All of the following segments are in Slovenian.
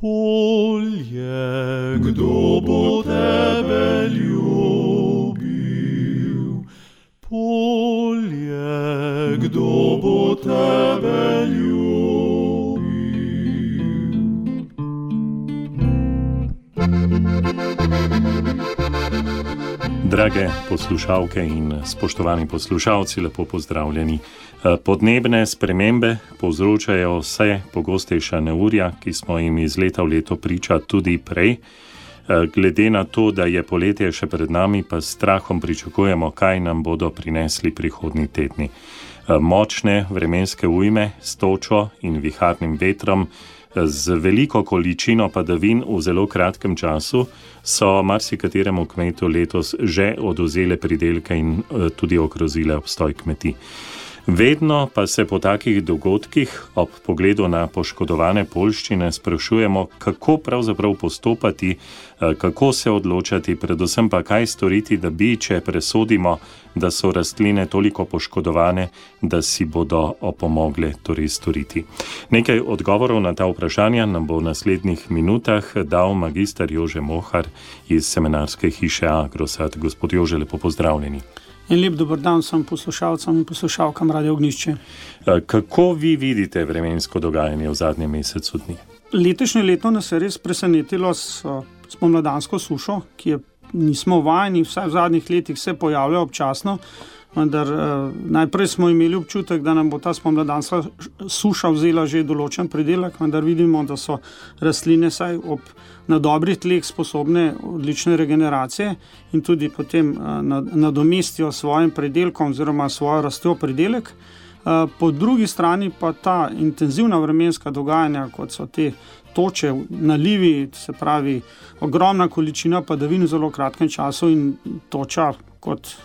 Polje, kdo bo tebe ljubil? Polje, kdo bo tebe ljubil? Drage poslušalke in spoštovani poslušalci, lepo pozdravljeni. Podnebne spremembe povzročajo vse pogostejša neurja, ki smo jim iz leta v leto priča tudi prej. Glede na to, da je poletje še pred nami, pa s strahom pričakujemo, kaj nam bodo prinesli prihodnji tedni. Močne vremenske ujme s točo in viharnim vetrom, z veliko količino padavin v zelo kratkem času so marsikateremu kmetu letos že odvzele pridelke in tudi ogrozile obstoj kmetij. Vedno pa se po takih dogodkih ob pogledu na poškodovane poljščine sprašujemo, kako pravzaprav postopati, kako se odločati, predvsem pa kaj storiti, da bi, če presodimo, da so rastline toliko poškodovane, da si bodo opomogle torej storiti. Nekaj odgovorov na ta vprašanja nam bo v naslednjih minutah dal magister Jože Mohar iz semenarske hiše Agrosad. Gospod Jože, lepo pozdravljeni. In lep dober dan vsem poslušalcem in poslušalkam Radio Ognjišče. Kako vi vidite vremensko dogajanje v zadnjem mesecu dni? Letošnje leto nas je res presenetilo s spomladansko sušo, ki je nismo vajeni, vsaj v zadnjih letih se pojavlja občasno, vendar najprej smo imeli občutek, da nam bo ta spomladanska suša vzela že določen pridelek, vendar vidimo, da so rastline saj na dobrih tleh sposobne odlične regeneracije in tudi potem nadomestijo svojim pridelkom oziroma svojo rastjo pridelek. Po drugi strani pa ta intenzivna vremenska dogajanja, kot so te toče, nalivi, se pravi ogromna količina padavin v zelo kratkem času in toča kot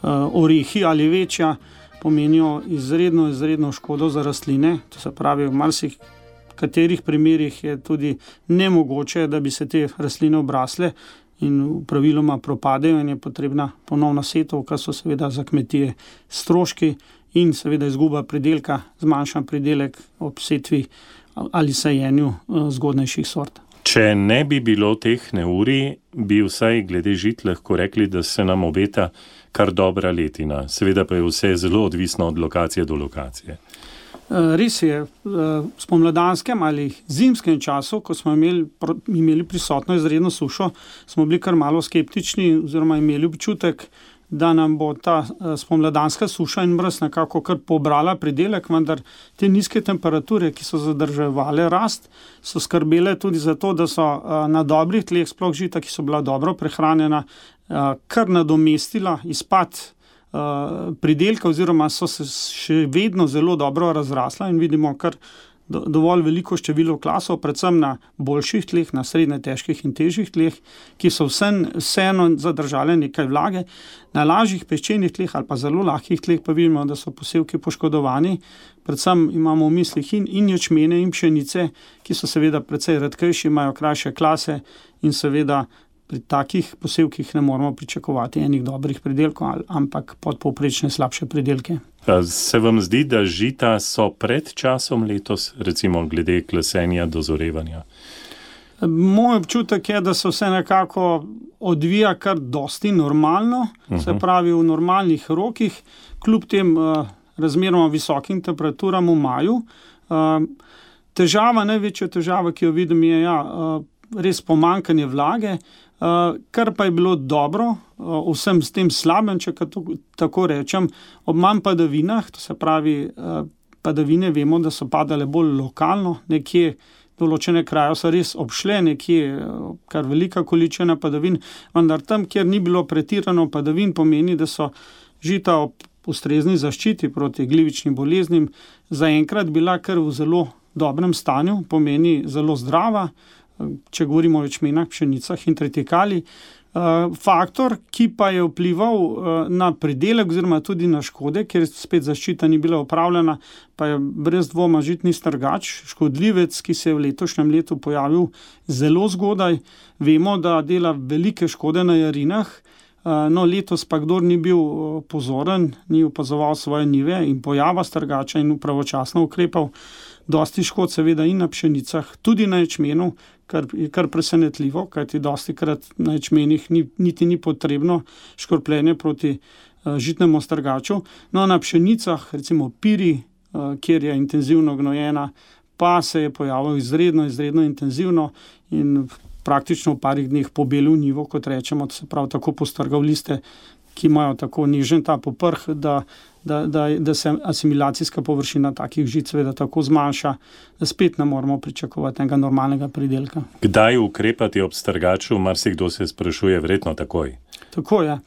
orehi ali večja, pomenijo izredno škodo za rastline. To se pravi, v katerih primerih je tudi nemogoče, da bi se te rastline obrasle in praviloma propadejo in je potrebna ponovna setva, kar so seveda za kmetije stroški in seveda izguba pridelka, zmanjšan pridelek ob setvi ali sajenju zgodnejših sort. Če ne bi bilo teh neurij, bi vsaj glede žit lahko rekli, da se nam obeta kar dobra letina. Seveda pa je vse zelo odvisno od lokacije do lokacije. Res je, v spomladanskem ali zimskem času, ko smo imeli prisotno izredno sušo, smo bili kar malo skeptični oziroma imeli občutek, da nam bo ta spomladanska suša in mraz nekako kar pobrala pridelek, vendar te nizke temperature, ki so zadrževale rast, so skrbele tudi za to, da so na dobrih tleh, sploh žita, ki so bila dobro prehranjena, kar nadomestila izpad pridelka oziroma so se še vedno zelo dobro razrasla in vidimo kar dovolj veliko število klasov, predvsem na boljših tleh, na srednje težkih in težjih tleh, ki so vseeno zadržale nekaj vlage. Na lažjih peščenih tleh ali pa zelo lahkih tleh pa vidimo, da so posevki poškodovani. Predvsem imamo v mislih in ječmene in pšenice, ki so seveda precej redkejši, imajo krajše klase in seveda pri takih posevkih ne moramo pričakovati enih dobrih pridelkov, ampak podpovprečne slabše pridelke. Se vam zdi, da žita so pred časom letos, recimo glede klasenja, dozorevanja? Moj občutek je, da se vse nekako odvija kar dosti normalno, se pravi v normalnih rokih, kljub tem razmeroma visokim temperaturam v maju. Največja težava, ki jo vidim, je res pomanjkanje vlage, kar pa je bilo dobro, vsem s tem slabem, če tako rečem, ob manj padavinah, to se pravi, padavine vemo, da so padale bolj lokalno, nekje določene kraje so res obšle, nekje kar velika količina padavin, vendar tam, kjer ni bilo pretirano padavin, pomeni, da so žita ob ustrezni zaščiti proti glivičnim boleznim zaenkrat bila kar v zelo dobrem stanju, pomeni zelo zdrava, če govorimo o ječmenah, pšenicah in tritikali. Faktor, ki pa je vplival na pridelek oziroma tudi na škode, ker spet zaščita ni bila opravljena, pa je brez dvoma žitni strgač, škodljivec, ki se je v letošnjem letu pojavil zelo zgodaj. Vemo, da dela velike škode na jarinah, letos pa kdor ni bil pozoren, ni opazoval svoje njive in pojava strgača in pravočasno ukrepal, dosti škod seveda in na pšenicah, tudi na ječmenu, kar je kar presenetljivo, kajti dostikrat na ječmenih niti ni potrebno škropljenje proti žitnemu strgaču. No, na pšenicah, recimo piri, kjer je intenzivno gnojena, pa se je pojavil izredno intenzivno in praktično v parih dneh pobelil njivo, kot rečemo, se pravi tako postrgal liste, ki imajo tako nežen ta poprh, da se asimilacijska površina takih žit seveda tako zmanjša, da spet ne moramo pričakovati enega normalnega pridelka. Kdaj ukrepati ob strgaču, marsikdo se sprašuje, verjetno takoj. Tako je.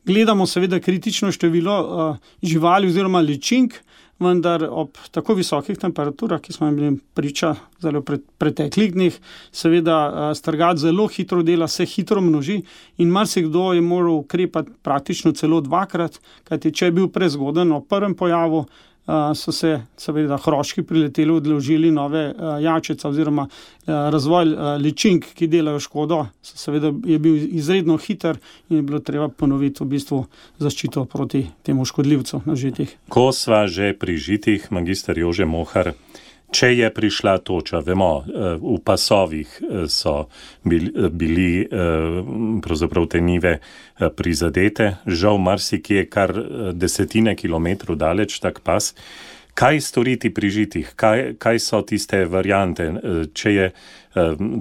Gledamo seveda kritično število živali oziroma ličink, vendar ob tako visokih temperaturah, ki smo jim bili priča zelo preteklih dneh, seveda strgač zelo hitro dela, se hitro množi in marsikdo je moral ukrepati praktično celo dvakrat, kajti če je bil prezgoden ob prvem pojavu, so se seveda hroški prileteli, odložili nove jačice oziroma razvoj ličink, ki delajo škodo, seveda je bil izredno hiter in je bilo treba ponoviti v bistvu zaščito proti temu škodljivcu na žitih. Ko sva že pri žitih, magister Jože Mohar, če je prišla toča, vemo, v pasovih so bili pravzaprav te njive prizadete, žal marsikje kar desetine kilometrov daleč tak pas. Kaj storiti pri žitih? Kaj so tiste variante? Če je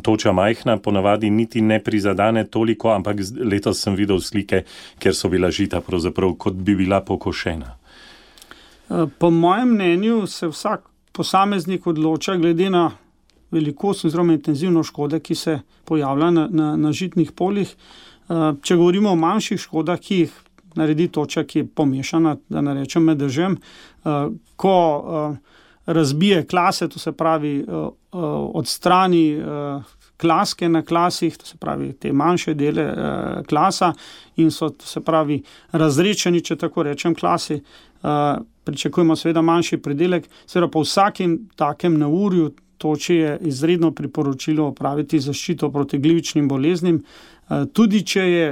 toča majhna, ponavadi niti ne prizadane toliko, ampak letos sem videl slike, kjer so bila žita pravzaprav kot bi bila pokošena. Po mojem mnenju se vsak posameznik odloča glede na velikost oziroma intenzivno škode, ki se pojavlja na žitnih poljih. Če govorimo o manjših škodah, ki jih naredi toča, ki je pomešana, da ne rečem med dežem, ko razbije klase, to se pravi odstrani klaske na klasih, to se pravi te manjše dele klasa in so, to se pravi, razrečeni, če tako rečem, klasi, pričakujemo seveda manjši pridelek, seveda po vsakem takem neurju toči je izredno priporočilo opraviti zaščito proti glivičnim boleznim, tudi če je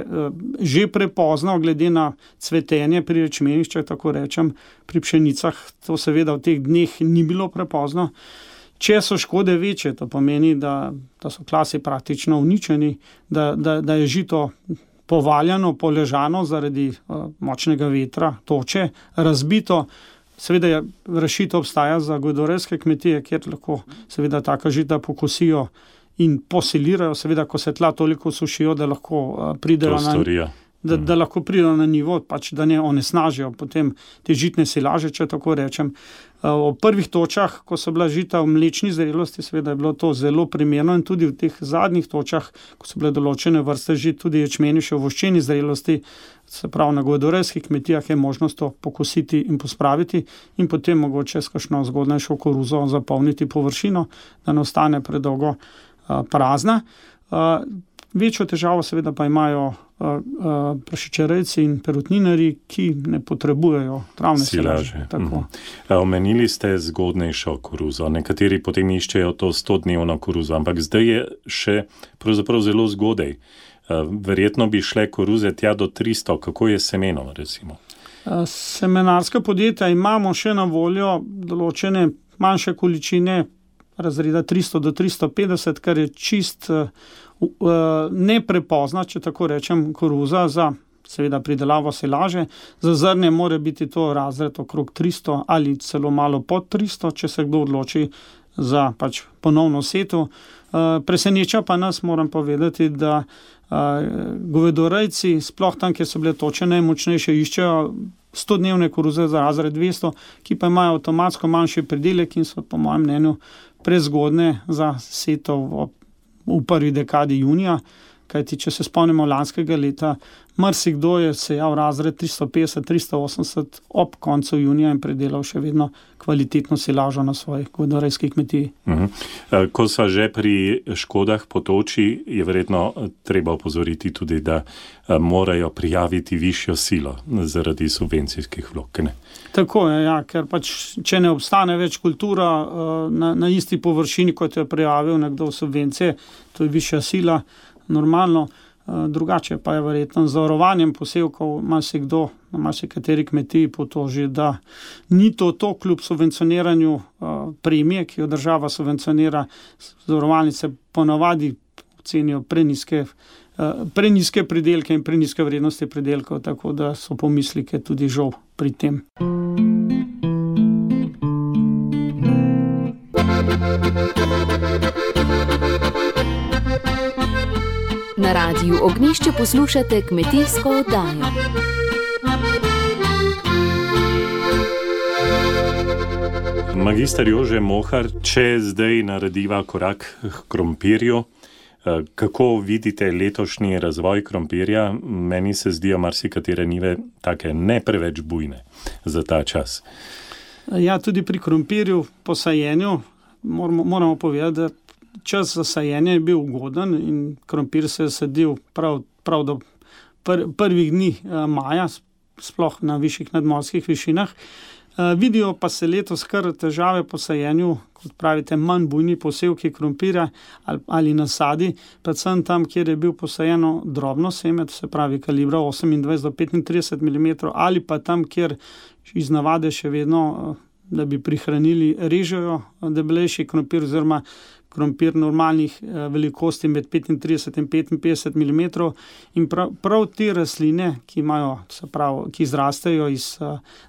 že prepozno glede na cvetenje pri ječmenih, če tako rečem, pri pšenicah to seveda v teh dneh ni bilo prepozno. Če so škode večje, to pomeni, da so klasi praktično uničeni, da je žito povaljano, poležano zaradi močnega vetra, toče, razbito. Seveda rešitev obstaja za govedorejske kmetije, kjer lahko seveda taka žita pokosijo in posilirajo, seveda ko se tla toliko sušijo, da lahko pridejo da lahko pridejo na nivo, pač da ne onesnažijo potem te žitne silaže, če tako rečem. V prvih točah, ko so bila žita v mlečni zrelosti, seveda je bilo to zelo primerno in tudi v teh zadnjih točah, ko so bile določene vrste žit, tudi ječmeni še v voščeni zrelosti, se pravi na govedorejskih kmetijah je možnost to pokositi in pospraviti in potem mogoče s kakšno zgodnejšo koruzo zapolniti površino, da ne ostane predolgo prazna. Večjo težavo seveda pa imajo prašičerejci in perutninarji, ki ne potrebujejo travne silaže. Omenili ste zgodnejšo koruzo. Nekateri potem iščejo to 100-dnevno koruzo, ampak zdaj je še pravzaprav zelo zgodaj. Verjetno bi šle koruze tja do 300. Kako je semenom, recimo? Semenarska podjetja imamo še na voljo določene manjše količine razreda 300 do 350, kar je čist neprepozna, če tako rečem, koruza za seveda pridelavo silaže. Za zrnje mora biti to razred okrog 300 ali celo malo pod 300, če se kdo odloči za pač ponovno setev. Preseneča pa nas, moram povedati, da govedorejci, sploh tam, kjer so bile toče najmočnejše, iščejo 100-dnevne koruze za razred 200, ki pa imajo avtomatsko manjši pridelek in so po mojem mnenju prezgodne za setev v prvi dekadi junija, kajti če se spomnimo lanskega leta, marsikdo je sejal razred 350-380 ob koncu junija in predelal še vedno kvalitetno silažo na svoji govedorejski kmetiji. Ko sva že pri škodah po toči, je verjetno treba opozoriti tudi, da morajo prijaviti višjo silo zaradi subvencijskih vlog. Tako je, ja, ker pač, če ne obstane več kultura na isti površini, kot je prijavil nekdo v subvencije, to je višja sila, normalno, drugače pa je verjetno z zavarovanjem posevkov, ima se kdo na marsikateri kmetiji potoži, da ni to kljub subvencioniranju premije, ki jo država subvencionira, zavarovalnice ponavadi cenijo prenizke pridelke in prenizke vrednosti pridelkov, tako da so pomislike tudi žal pri tem. Na Radiu Ognjišče poslušate kmetijsko oddajo. Magister Jože Mohar, če zdaj narediva korak k krompirju, kako vidite letošnji razvoj krompirja? Meni se zdijo marsikatere njive take ne preveč bujne za ta čas. Ja, tudi pri krompirju po sajenju moramo povedati, da čas za sajenje je bil ugoden in krompir se je sadil prav do prvih dni maja, sploh na višjih nadmorskih višinah. Vidijo pa se letos kar težave po sajenju, kot pravite, manj bujni posevki krompirja ali nasadi, predvsem tam, kjer je bil posajeno drobno seme, to se pravi kalibra 28 do 35 mm, ali pa tam, kjer iz navade še vedno, da bi prihranili, režejo debelejši krompir oziroma krompir normalnih velikosti med 35 in 55 mm in prav te rastline, ki izrastejo iz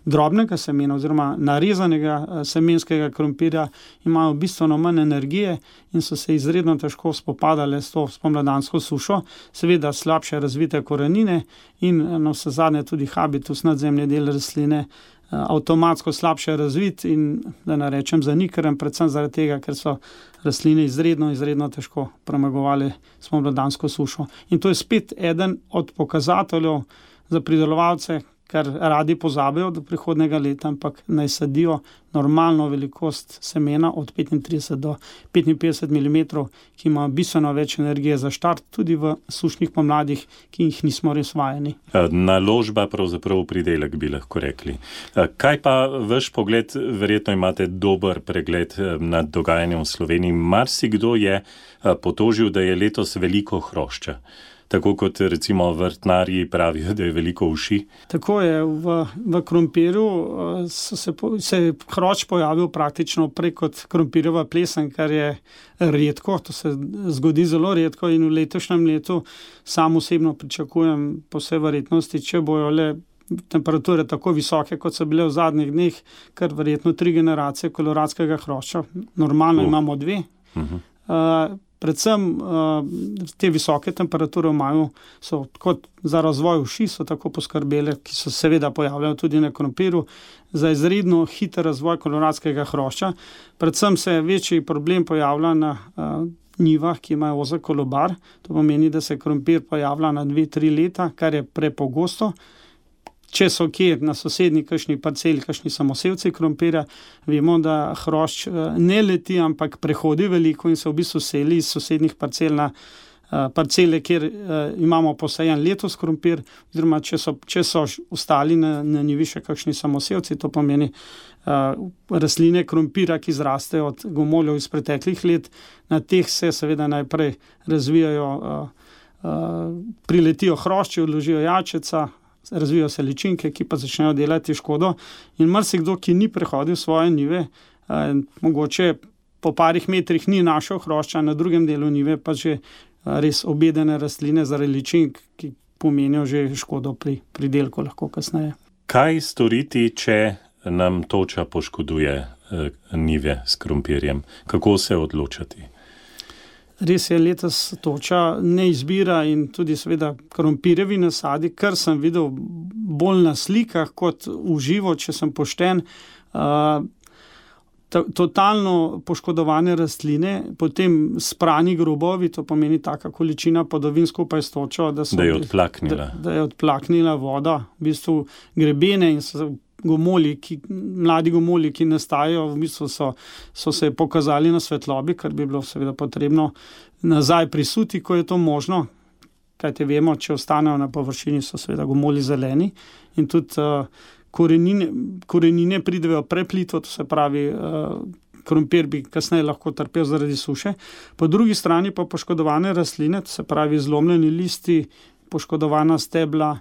drobnega semena oziroma narezanega semenskega krompirja, imajo bistveno manj energije in so se izredno težko spopadale s to spomladansko sušo, seveda slabše razvite korenine in navsezadnje tudi habitus, nadzemni del rastline, avtomatsko slabše razvit in, da ne rečem, zanikaren, predvsem zaradi tega, ker so rastline izredno težko premagovali spomladansko sušo. In to je spet eden od pokazateljev za pridelovalce, kar radi pozabijo do prihodnega leta, ampak naj sadijo normalno velikost semena od 35 do 55 mm, ki ima bistveno več energije za štart, tudi v sušnih pomladih, ki jih nismo res vajeni. Naložba pravzaprav pridelek, bi lahko rekli. Kaj pa vaš pogled, verjetno imate dober pregled nad dogajanjem v Sloveniji. Marsikdo je potožil, da je letos veliko hrošča. Tako kot recimo vrtnarji pravijo, da je veliko uši. Tako je, v krompirju se je hrošč pojavil praktično prej kot krompirjeva plesen, kar je redko, to se zgodi zelo redko in v letošnjem letu sam osebno pričakujem po vsej verjetnosti, če bojo le temperature tako visoke, kot so bile v zadnjih dneh, kar verjetno 3 generacije koloradskega hrošča. Normalno imamo 2. Predvsem te visoke temperature v maju so kot za razvoj uši, so tako poskrbele, ki so seveda pojavljali tudi na krompirju, za izredno hiter razvoj koloradskega hrošča. Predvsem se večji problem pojavlja na njivah, ki imajo ozek kolobar. To pomeni, da se krompir pojavlja na 2-3 leta, kar je prepogosto. Če so kje na sosednji kakšni parceli, kakšni samosevci krompirja, vemo, da hrošč ne leti, ampak prehodi veliko in se v bistvu seli iz sosednjih parcel na parcele, kjer imamo posajen letos krompir, oziroma če so ostali na njivi še kakšni samosevci, to pomeni rastline krompira, ki zrastejo od gomoljev iz preteklih let, na teh se seveda najprej razvijajo, priletijo hrošči, odložijo jajčeca, razvijajo se ličinke, ki pa začnejo delati škodo in marsikdo, ki ni prehodil svoje njive, mogoče po parih metrih ni našel hrošča, na drugem delu njive pa že res obedene rastline zaradi ličink, ki pomenijo že škodo pri pridelku lahko kasneje. Kaj storiti, če nam toča poškoduje njive s krompirjem? Kako se odločati? Res je, letos toča ne izbira in tudi seveda krompirjevi nasadi, kar sem videl bolj na slikah kot v živo, če sem pošten, totalno poškodovane rastline, potem sprani grobovi, to pomeni taka količina padavin skupaj s točo, da je odplaknila voda, v bistvu grebene in so mladi gomolji, ki nastajajo, v bistvu so se pokazali na svetlobi, kar bi bilo seveda potrebno nazaj prisuti, ko je to možno. Kajte vemo, če ostanejo na površini, so seveda gomolji zeleni in tudi korenine pridejo preplito, to se pravi, krompir bi kasneje lahko trpel zaradi suše. Po drugi strani pa poškodovane rastline, to se pravi zlomljeni listi, poškodovana stebla,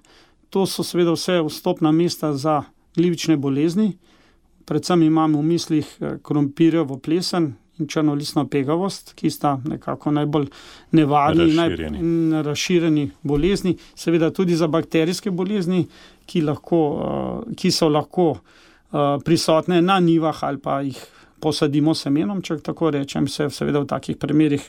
To so seveda vse vstopna mesta za glivične bolezni. Predvsem imamo v mislih krompirjevo plesen in črnolistno pegavost, ki sta nekako najbolj nevarni in razširjeni bolezni. Seveda tudi za bakterijske bolezni, ki so lahko prisotne na njivah ali pa jih posadimo semenom, če tako rečem, se seveda v takih primerih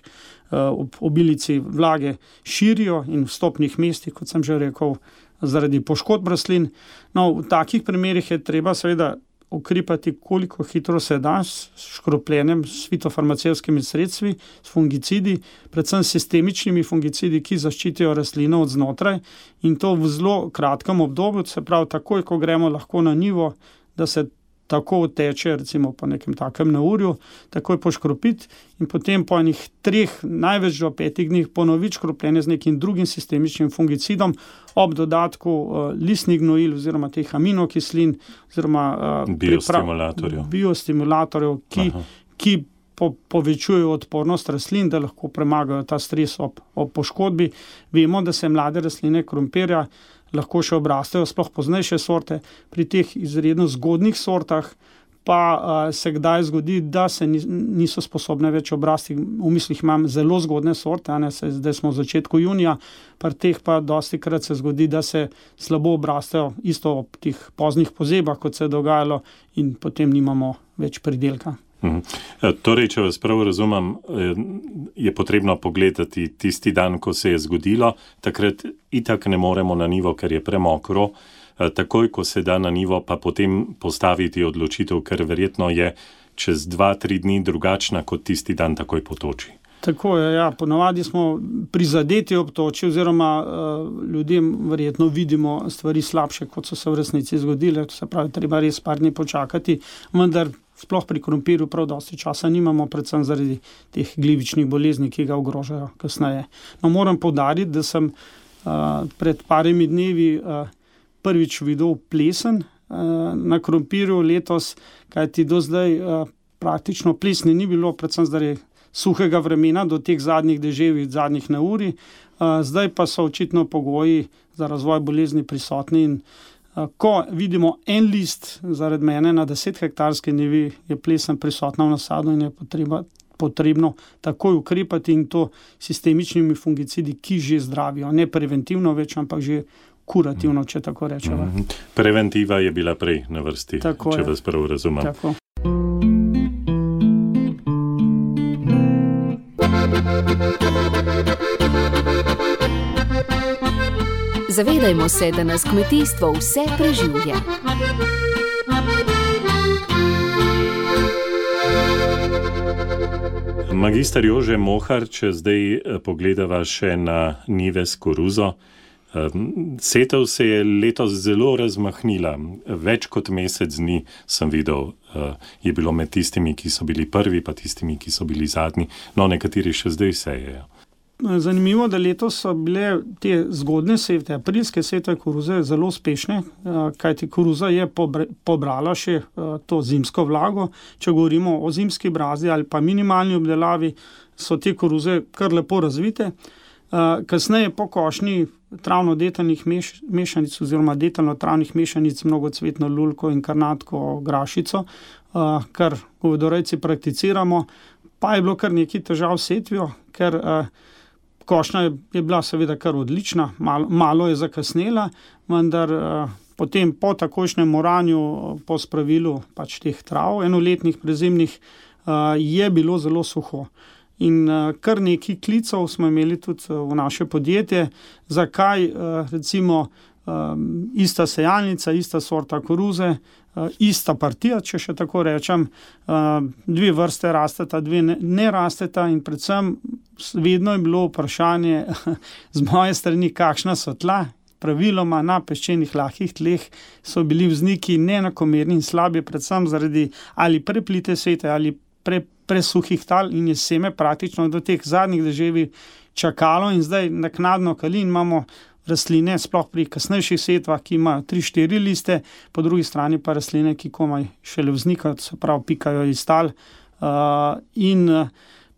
obilici vlage širijo in v vstopnih mestih, kot sem že rekel, zaradi poškodb rastlin. No, v takih primerih je treba seveda ukrepati, koliko hitro se da s škropljenjem, s fitofarmacevtskimi sredstvi, s fungicidi, predvsem sistemičnimi fungicidi, ki zaščitijo rastlino od znotraj in to v zelo kratkem obdobju, se pravi takoj, ko gremo lahko na njivo, da se tako teče, recimo po nekem takem neurju, takoj poškropiti in potem po enih 3, največ do 5 dneh ponoviti škropljenje z nekim drugim sistemičnim fungicidom ob dodatku listnih gnojil oziroma teh aminokislin oziroma biostimulatorjev, ki povečujejo odpornost rastlin, da lahko premagajo ta stres ob poškodbi. Vemo, da se mlade rastline krompirja lahko še obrastejo, sploh poznejše sorte. Pri teh izredno zgodnih sortah pa se kdaj zgodi, da se niso sposobne več obrasti. V mislih imam zelo zgodne sorte, zdaj smo v začetku junija, pri teh pa dostikrat se zgodi, da se slabo obrastejo isto ob teh poznih pozebah, kot se je dogajalo in potem nimamo več pridelka. Torej, če vas prav razumem, je potrebno pogledati tisti dan, ko se je zgodilo, takrat itak ne moremo na nivo, ker je premokro, takoj, ko se da na nivo, pa potem postaviti odločitev, ker verjetno je čez 2-3 dni drugačna kot tisti dan takoj po toči. Tako je, ja. Ponavadi smo prizadeti ob toči oziroma ljudem verjetno vidimo stvari slabše, kot so se v resnici zgodile. To se pravi, treba res par dni počakati, vendar sploh pri krompirju prav dosti časa nimamo, predvsem zaradi teh glivičnih bolezni, ki ga ogrožajo kasneje. No, moram poudariti, da sem pred parimi dnevi prvič videl plesen na krompirju letos, kajti do zdaj praktično plesni ni bilo, predvsem zaradi suhega vremena do teh zadnjih deževij, zadnjih neurij. Zdaj pa so očitno pogoji za razvoj bolezni prisotni in ko vidimo en list zaradi mene na 10-hektarski njivi, je plesen prisotna v nasadu in je potrebno takoj ukrepati in to sistemičnimi fungicidi, ki že zdravijo. Ne preventivno več, ampak že kurativno, če tako rečemo. Preventiva je bila prej na vrsti, tako če vas prav razumem. Tako. Zavedajmo se, da nas kmetijstvo vse preživlja. Magister Jože Mohar, če zdaj pogledava še na njive s koruzo. Setev se je letos zelo razmahnila. Več kot mesec dni sem videl, je bilo med tistimi, ki so bili prvi, pa tistimi, ki so bili zadnji. No, nekateri še zdaj sejejo. Zanimivo, da letos so bile te zgodne setve, aprilske setve koruze zelo uspešne, kajti koruza je pobrala še to zimsko vlago. Če govorimo o zimski brazdi ali pa minimalni obdelavi, so te koruze kar lepo razvite. Kasneje po košnji travno-detelnih mešanic oziroma detelno-travnih mešanic, mnogocvetno lulko in karnatko grašico, kar govedorejci prakticiramo, pa je bilo kar nekaj težav s setvijo, ker košnja je bila seveda kar odlična, malo je zakasnela, vendar potem po takojšnjem oranju, po spravilu pač teh trav, enoletnih, prezimnih, je bilo zelo suho. In kar nekaj klicev smo imeli tudi v naše podjetje, zakaj recimo ista sejalnica, ista sorta koruze, ista partija, če še tako rečem, 2 vrste rasteta, 2 ne rasteta in predvsem vedno je bilo vprašanje z moje strani, kakšna so tla. Praviloma na peščenih lahkih tleh so bili vzniki neenakomerni in slabi, predvsem zaradi ali preplite setve ali presuhih tal in je seme praktično do teh zadnjih deževij čakalo in zdaj naknadno kali in imamo rastline, sploh pri kasnejših setvah, ki imajo 3-4 liste, po drugi strani pa rastline, ki komaj šele vznikajo, se pravi pikajo iz tal in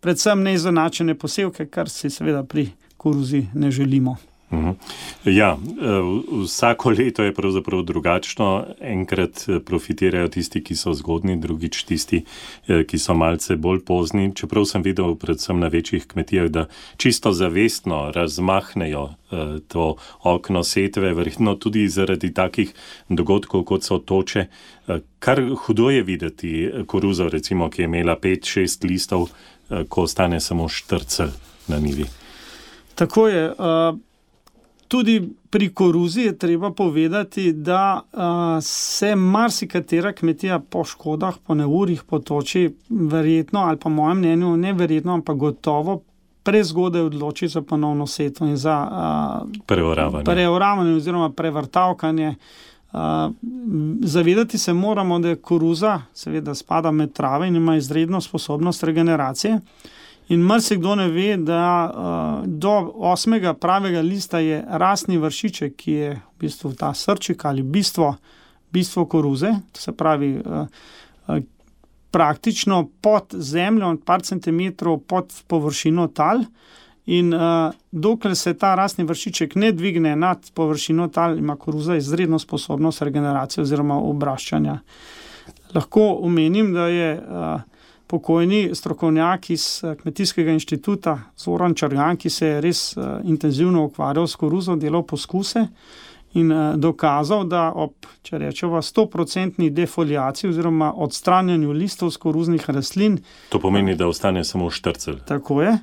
predvsem neizenačene posevke, kar si seveda pri koruzi ne želimo. Ja, vsako leto je pravzaprav drugačno. Enkrat profitirajo tisti, ki so zgodni, drugič tisti, ki so malce bolj pozni. Čeprav sem videl predvsem na večjih kmetijah, da čisto zavestno razmahnejo to okno setve, verjetno tudi zaradi takih dogodkov, kot so toče. Kar hudo je videti koruzo, recimo, ki je imela 5-6 listov, ko ostane samo štrcelj na njivi. Tako je. Tudi pri koruzi je treba povedati, da se marsikatera kmetija po škodah, po neurjih, po toči verjetno, ali pa mojem mnenju neverjetno, ampak gotovo prezgodaj odloči za ponovno setvo in za preoravanje oziroma prevrtavkanje. Zavedati se moramo, da je koruza seveda spada med trave in ima izredno sposobnost regeneracije. In marsikdo ne ve, da do 8. pravega lista je rastni vršiček, ki je v bistvu ta srčik ali bistvo koruze, to se pravi praktično pod zemljo, par centimetrov pod površino tal. In dokler se ta rastni vršiček ne dvigne nad površino tal, ima koruza izredno sposobnost regeneracije oziroma obraščanja. Lahko omenim, da je pokojni strokovnjak iz Kmetijskega inštituta Zoran Čargan, ki se je res intenzivno ukvarjal s koruzo, delal poskuse in dokazal, da ob, če rečemo, 100% defoliaciji oziroma odstranjanju listov z koruznih rastlin. To pomeni, da ostane samo štrcelj. Tako je.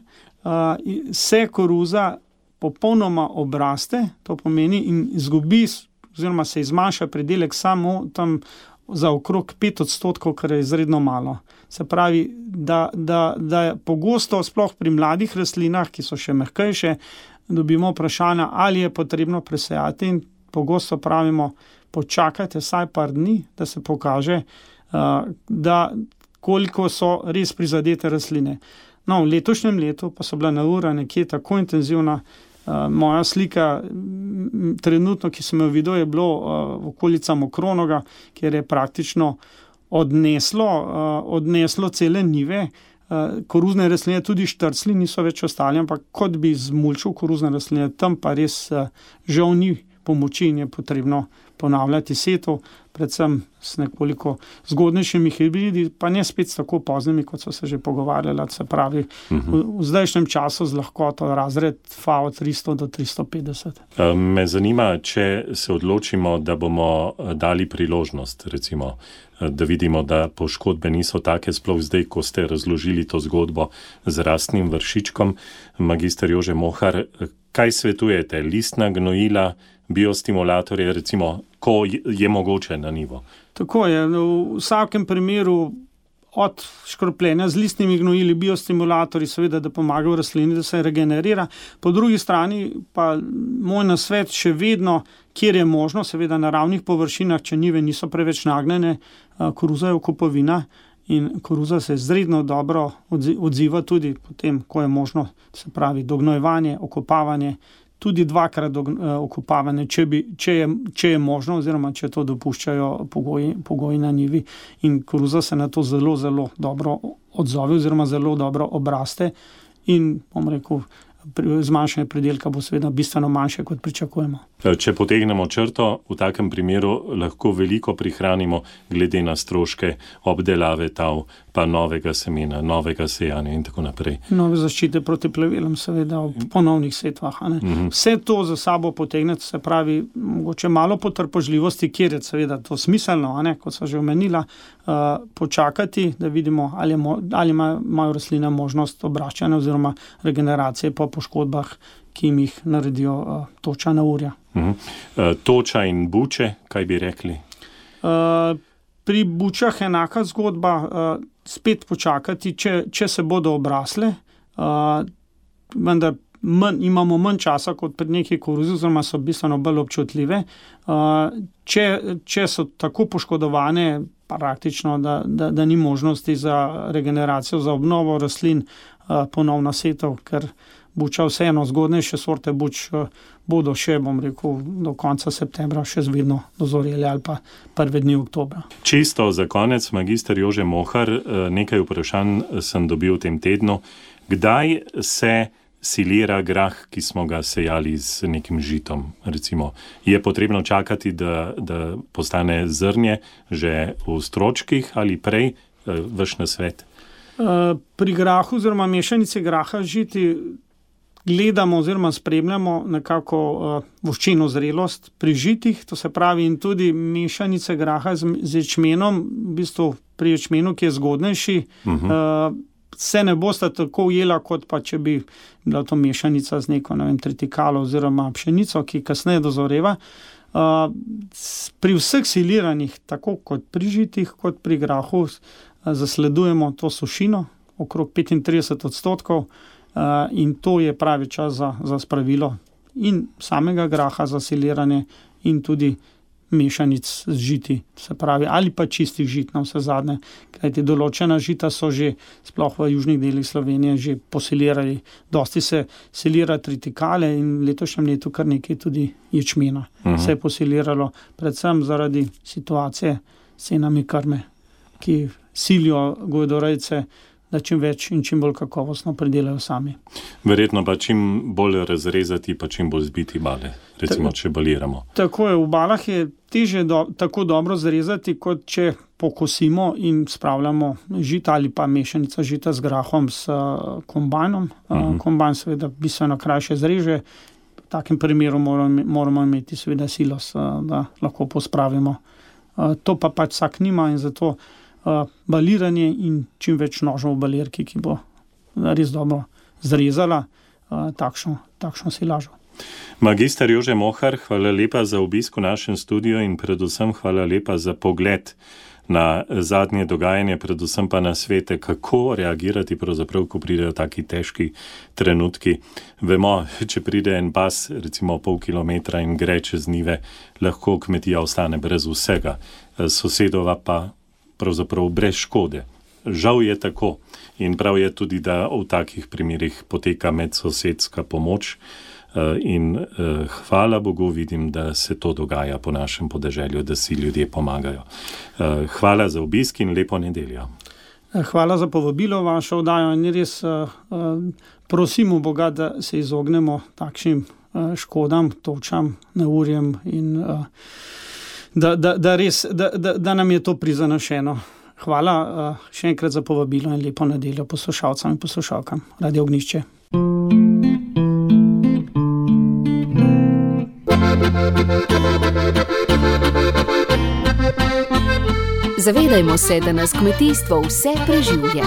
Se koruza popolnoma obraste, to pomeni in izgubi oziroma se izmanjša pridelek samo tam za okrog 5%, kar je izredno malo. Se pravi, da je pogosto, sploh pri mladih rastlinah, ki so še mehkejše, dobimo vprašanja, ali je potrebno presejati in pogosto pravimo, počakajte vsaj par dni, da se pokaže, da koliko so res prizadete rastline. No, v letošnjem letu pa so bila neurja nekje tako intenzivna. Moja slika trenutno, ki sem jo videl, je bilo v okolica Mokronoga, kjer je praktično odneslo cele njive. Koruzne rastline, tudi štrcli niso več ostali, ampak kot bi zmulčil koruzne rastline, tam pa res žal ni pomoči in je potrebno ponavljati setvo, predvsem s nekoliko zgodnejšimi hibridi, pa ne spet s tako poznimi, kot so se že pogovarjali, se pravi v zdajšnjem času z lahkoto razred FAO 300 do 350. Me zanima, če se odločimo, da bomo dali priložnost, recimo, da vidimo, da poškodbe niso take, sploh zdaj, ko ste razložili to zgodbo z rastnim vršičkom. Magister Jože Mohar, kaj svetujete? Listna gnojila, biostimulatorje, recimo, ko je mogoče na nivo? Tako je. V vsakem primeru od škropljenja z listnimi gnojili, biostimulatorji, seveda, da pomagajo rastlini, da se regenerira. Po drugi strani pa moj nasvet še vedno, kjer je možno, seveda na ravnih površinah, če njive niso preveč nagnjene, koruza je okupovina in koruza se izredno dobro odziva tudi potem, ko je možno, se pravi, dognojevanje, okopavanje, tudi 2-krat okopavanje, če je možno oziroma če to dopuščajo pogoji na njivi. In koruza se na to zelo, zelo dobro odzove oziroma zelo dobro obraste in, bom rekel, zmanjšanje pridelka bo seveda bistveno manjše, kot pričakujemo. Če potegnemo črto, v takem primeru lahko veliko prihranimo glede na stroške obdelave tav, pa novega semena, novega sejanja in tako naprej. Nove zaščite proti plevelom, seveda v ponovnih setvah. Vse to za sabo potegne, se pravi, mogoče malo potrpežljivosti, kjer je seveda to smiselno, kot so že omenila, počakati, da vidimo, ali imajo rastline možnost obraščanja oziroma regeneracije po poškodbah, ki jih naredijo toča neurja. Toča in buče, kaj bi rekli? Pri bučah enaka zgodba, spet počakati, če se bodo obrasle, vendar imamo manj časa kot pri neki koruzi, oziroma so bistveno bolj občutljive. Če so tako poškodovane, praktično, da ni možnosti za regeneracijo, za obnovo rastlin, ponovna setev, ker buča vseeno, zgodnejše sorte buč bodo še, bom rekel, do konca septembra še vedno dozoreli ali pa prve dni oktobra. Čisto za konec, magister Jože Mohar, nekaj vprašanj sem dobil v tem tednu. Kdaj se silira grah, ki smo ga sejali z nekim žitom, recimo. Je potrebno čakati, da postane zrnje že v stročkih ali prej, vaš nasvet? Pri grahu oziroma mešanici graha žiti gledamo oziroma spremljamo nekako voščeno zrelost pri žitih, to se pravi, in tudi mešanice graha z ječmenom, v bistvu pri ječmenu, ki je zgodnejši, se ne bosta tako ujela, kot pa če bi bila to mešanica z neko, tritikalo oziroma pšenico, ki kasneje dozoreva. Pri vseh siliranjih, tako kot pri žitih, kot pri grahu, zasledujemo to sušino, okrog 35%, in to je pravi čas za spravilo in samega graha za siliranje in tudi mešanic z žiti, se pravi, ali pa čistih žit na vse zadnje, kajti določena žita so že, sploh v južnih delih Slovenije, že posilirali. Dosti se silira tritikale in v letošnjem letu kar nekaj tudi ječmena se je posiliralo, predvsem zaradi situacije s cenami krme, ki silijo govedorejce, da čim več in čim bolj kakovostno pridelajo sami. Verjetno pa čim bolj razrezati, pa čim bolj zbiti bale, recimo, če baliramo. Tako je, v balah je težje tako dobro zrezati, kot če pokosimo in spravljamo žita ali pa mešanica žita z grahom s kombajnom. Kombajn seveda bistveno krajše zreže. V takem primeru moramo imeti seveda silos, da lahko pospravimo. To pa pač vsak nima in zato baliranje in čim več nožev v balirki, ki bo res dobro zrezala takšno silažo. Magister Jože Mohar, hvala lepa za obisk v našem studiu in predvsem hvala lepa za pogled na zadnje dogajanje, predvsem pa na svete, kako reagirati pravzaprav, ko pridejo taki težki trenutki. Vemo, če pride en pas, recimo pol kilometra in gre čez njive, lahko kmetija ostane brez vsega, sosedova pa pravzaprav brez škode. Žal je tako in prav je tudi, da v takih primerih poteka medsosedska pomoč in hvala Bogu vidim, da se to dogaja po našem podeželju, da si ljudje pomagajo. Hvala za obisk in lepo nedeljo. Hvala za povabilo vašo oddajo in res prosimo Boga, da se izognemo takšnim škodam, točam, neurjem in da nam je to prizanašeno. Hvala še enkrat za povabilo in lepo nedeljo poslušalcem in poslušalkam Radio Ognjišče. Zavedajmo se, da nas kmetijstvo vse preživlja.